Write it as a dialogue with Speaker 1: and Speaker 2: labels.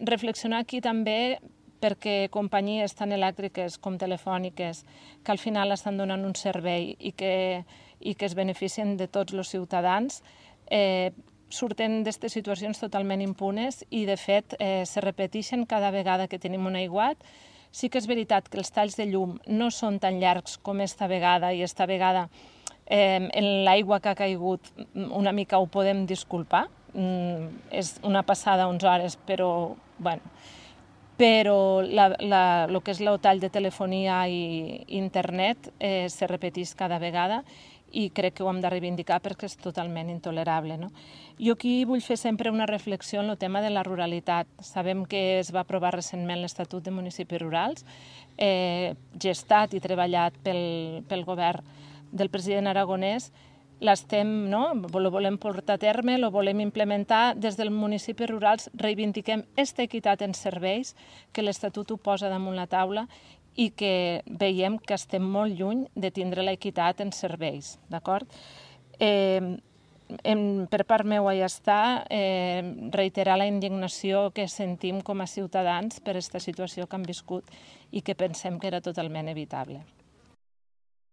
Speaker 1: reflexionar aquí també perquè companyies tan elèctriques com telefòniques que al final estan donant un servei i que es beneficien de tots els ciutadans surten d'aquestes situacions totalment impunes i, de fet, se repeteixen cada vegada que tenim un aiguat. Sí que és veritat que els talls de llum no són tan llargs com esta vegada i esta vegada en l'aigua que ha caigut una mica ho podem disculpar. És una passada 11 hores, però el que és el tall de telefonia i internet se repeteix cada vegada i crec que ho hem de reivindicar perquè és totalment intolerable. Jo aquí vull fer sempre una reflexió en el tema de la ruralitat. Sabem que es va aprovar recentment l'Estatut de Municipis Rurals, gestat i treballat pel govern del president Aragonès. Lo volem portar a terme, lo volem implementar. Des dels municipis rurals reivindiquem aquesta equitat en serveis, que l'Estatut ho posa damunt la taula i que veiem que estem molt lluny de tindre l'equitat en serveis, d'acord? Per part meua ja està, reiterar la indignació que sentim com a ciutadans per aquesta situació que han viscut i que pensem que era totalment evitable.